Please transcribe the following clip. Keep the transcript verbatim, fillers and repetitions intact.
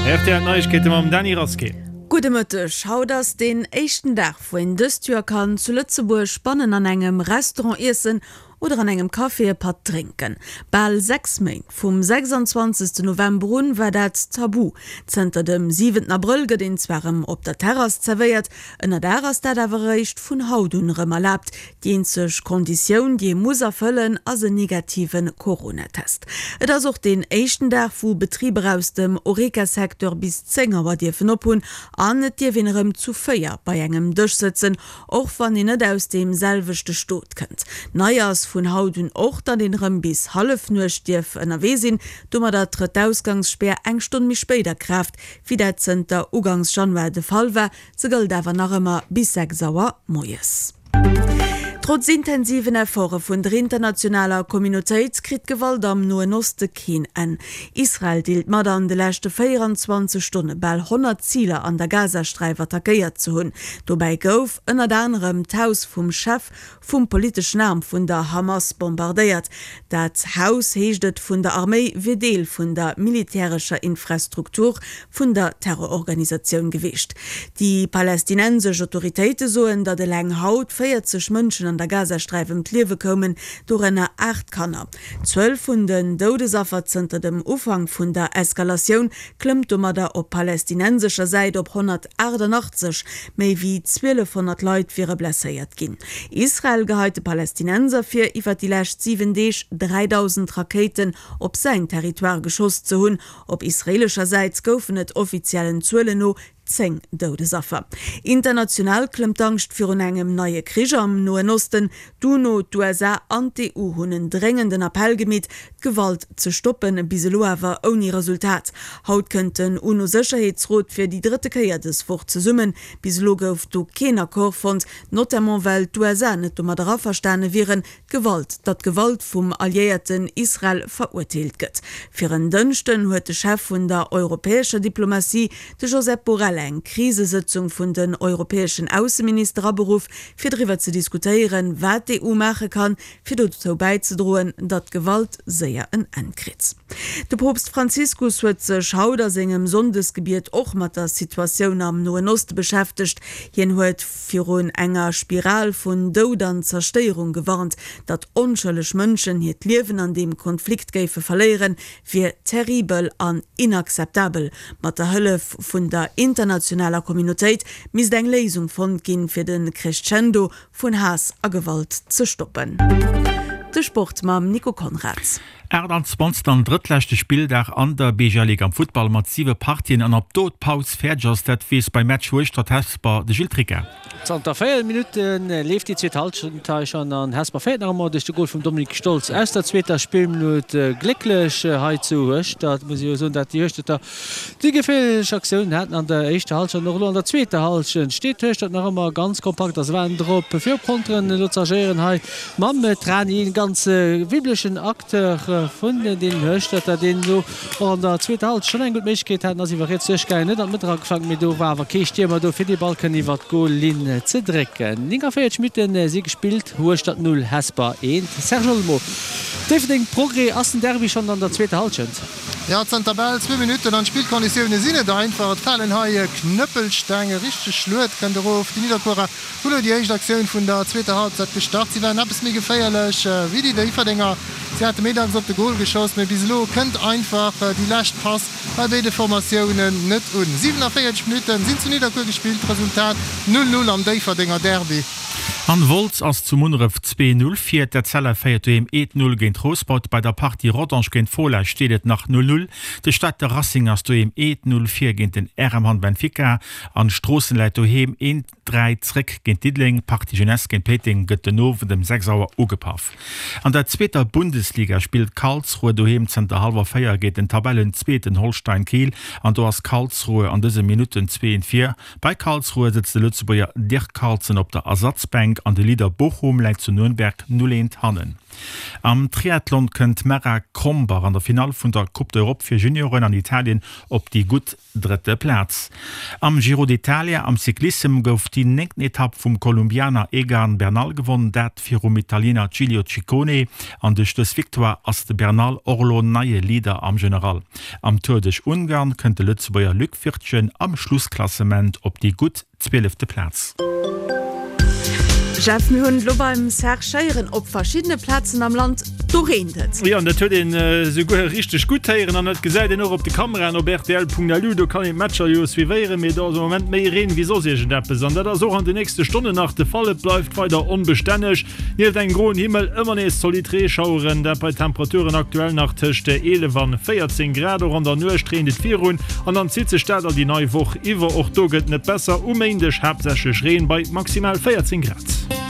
Rtl Neiegkeete mam Dany Rasqué. Gudde Mëtteg, Haut ass deen éischten Dag wou een dëst Joer kann zu Lëtzebuerg bannen an engem Restaurant iessen oder an engem Café e Patt drénken. Bal sechs Méint, vum sechsanzwanzegsten November un, war dat tabu. Zënter dem siwenten Abrëll gëtt een zwar erëm op der Terrass zerwéiert, ënner Daach ass dat awer eréischt vun haut un erëm erlaabt. Déi eenzeg Konditioun, déi ee muss erfëllen, ass en negative Coronatest. Et ass och deen éischten Dag, wou Betriber aus dem Horeca-Secteur bis zéng Auer dierfen ophunn an et dierf een erëm zu véier bei engem Dësch sëtzen, och wann een net aus deem selwechte Stot kënnt. Nei ass vun haut un och, datt een erëm bis Hallefnuecht dierf ënnerwee sinn. Domadder trëtt d'Ausgangsspär eng Stonn méi spéit a Kraaft, wéi dat zënter ugangs Januar de Fall war. Se gëllt awer nach ëmmer bis sechs Auer moies. Trotz intensiven Efforte vun der internationaler Communautéit kritt d'Gewalt am Noen Oste keen Enn. Israel deelt mat, an de leschte véierenzwanzeg Stonne bal honnert Ziler an der Gazasträif attackéiert ze hunn. Dobäi gouf ënnert anerem d'Haus vum Chef vum politeschen Aarm vun der Hamas bombardéiert. Dat Haus, heescht et vun der Arméi, wier Deel vun der militärescher Infrastruktur vun der Terrororganisatioun gewiescht. Déi palästinensesch Autoritéite soen, datt eleng haut véierzeg Mënschen an der Gazasträif ëm d'Liewe koumen, dorënner aacht Kanner. D'Zuel vun den Doudesaffer zënter dem Ufank vun der Eskalatioun klëmmt domadder op palästinensescher Säit op honnertaachtannachtzeg. Méi wéi zwielefhonnert Leit wiere blesséiert ginn. Israel geheit de Palästinenser vir, iwwer déi lescht siwen Deeg dräidausend Rakéiten op säin Territoire geschoss ze hunn. Op israeelescher Säit goufen et offiziellen Zuelen no zéng Doudesaffer. International klëmmt d'Angscht virun engem neie Krich am Noen Osten. D'UNO, d'USA an d'EU hunn en dréngenden Appell gemeet, d'Gewalt ze stoppen, bis elo awer ouni Resultat. Haut kënnt den UNO-Sécherheetsrot fir déi drëtte Kéier dës Woch zesummen. Bis elo gouf do keen Accord fonnt, notamment well d'USA net domadder averstane wieren, d'Gewalt, datt d'Gewalt vum Alliéierten Israel verurteelt gëtt. Fir en Dënschden huet de Chef vun der europäescher Diplomatie, de Josep Borrell, eng Krisesëtzung vun den europäeschen Ausseminister aberuff, fir driwwer ze diskutéieren, wat d'EU maache kann, fir dozou bäizedroen, datt d'Gewalt séier en Enn kritt. De Poopst Franziskus huet sech haut a sengem Sonndesgebiet och mat der Situatioun am Noen Oste beschäftegt. Hien huet virun enger Spiral vun Doud an Zerstéierung gewarnt. Datt onschëlleg Mënschen hiert Liewen an deem Konflikt géife verléieren, wier terribel an inakzeptabel. Mat der Hëllef vun der internationaler Communautéit misst eng Léisung fonnt ginn, fir de Crescendo vun Haass a Gewalt ze stoppen. De Sport mam Nico Conrads. achttanzwanzegsten an drëttleschte Spilldag an der B G L Ligue am Futtball mat siwe Partien an ob do d'Paus fäerdeg ass, dat weess beim Match Hueschtert-Hesper de Gilles Tricca. Zanter véier Minutte leeft déi zweet Hallschent hei schonn an Hesper féiert nach ëmmer duerch de Gol vum Dominique Stolz aus der zweeter Spillminutt. Glécklech hei zu Hueschtert, muss ee jo soen, dat déi Hueschterter déi geféierlech Aktiounen haten an der éischter Hallschent an och elo an der zweeter Hallschent steet Hueschtert nach ëmmer ganz kompakt a se waren drop fir op Konteren elo ze agéieren hei mam Trani, e ganz wibblechen Acteur vun deenen Hueschterter, deen elo och an der zweeter Hallschent schonn eng gutt Méiglechkeet hat an ass iwwer riets duerchgaangen, net an d'Mëtt erageflankt, mee do war awer kee Stiermer do fir dee Ball kënnen iwwer d'Goallinn ze drécken. nénganvéierzeg Minutte si gespillt, Hueschtert null, Hesper eent. Serge Olmo, Déifferdeng, Progrès, ass den Derby schonn an der zweeter Hallschent? Jo, zanter bal zwee Minutten an d'Spillkonditioune sinn net einfach. Et falen hei Knëppelsteng, e richteg Schluet kënnt erof. Déi Nidderkuerer hunn elo déi éischt Aktioun vun der zweeter Halbzeit gestart. Si waren eppes méi geféierlech wéi déi Déifferdenger. Si hate méi dacks op de Gol geschoss, mee bis elo kënnt einfach déi lescht Pass bei béide Formatiounen net un. siwenavéierzeg Minutte sinn zu Nidderkuer gespillt, Resultat null, null am Déifferdenger Derby. An Wolz ass zu Munneref zwee null vir. D'Etzella féiert doheem eent null géint Rouspert. Bei der Partie Rodange géint Fola steet et nach null null. De Stater Racing ass doheem eent null vir géint den R M Hamm Benfica. An Stroossen läit doheem eent dräi zréck géint Diddeleng. D'Partie Jeunesse géint Péiteng gëtt den Owend ëm sechs Auer ugepaff. An der zweeter Bundesliga spillt Karlsruhe doheem zënter hallwer véier géint den Tabellenzweeten Holstein Kiel an do ass Karlsruhe an dëse Minutten zwee eent vir. Bei Karlsruhe sëtzt de Lëtzebuerger Dirk Carlson op der Ersatzbänk an de Leader Bochum läit zu Nürnberg null eent hannen. Am Triathlon kënnt d'Mara Krombach an der Finall vun der Coupe d'Europe fir Junioren an Italien op déi gutt drëtte Plaz. Am Giro d'Italia am Cyclissem gouf déi néngten Etapp vum Kolumbianer Egan Bernal gewonn, dat virum Italiener Giulio Ciccone. An duerch dës Victoire ass de Bernal och elo neie Leader am General. Am Tour duerch Ungarn kënnt de Lëtzebuerger Luc Wirtgen am Schlussklassement op déi gutt zwielefte Plaz. Jeff, mir hunn elo beim Serge héieren, op verschiddene Plazen am Land, do reent et. Jo, an dat huet een esouguer richteg gutt héieren an dat gesäit een och op de Kameraen op rtl.lu. Do kann een d'Matcher jo suivéieren, mee do ass am Moment méi Reen wéi soss iergendeppes. An dat ass och an de nächste Stonnen nach de Fall. Et bleift weider onbestänneg, nieft engem groen Himmel ëmmer nees zolidd Reeschaueren, dat bei Temperaturen aktuell nach tëscht eelef an véierzéng Grad. Och an der Nuecht reent et virun an dann zitt sech dat all déi nei Woch iwwer. Och do gëtt net besser, um Méindeg haaptsächlech Reen bei maximal véierzéng Grad.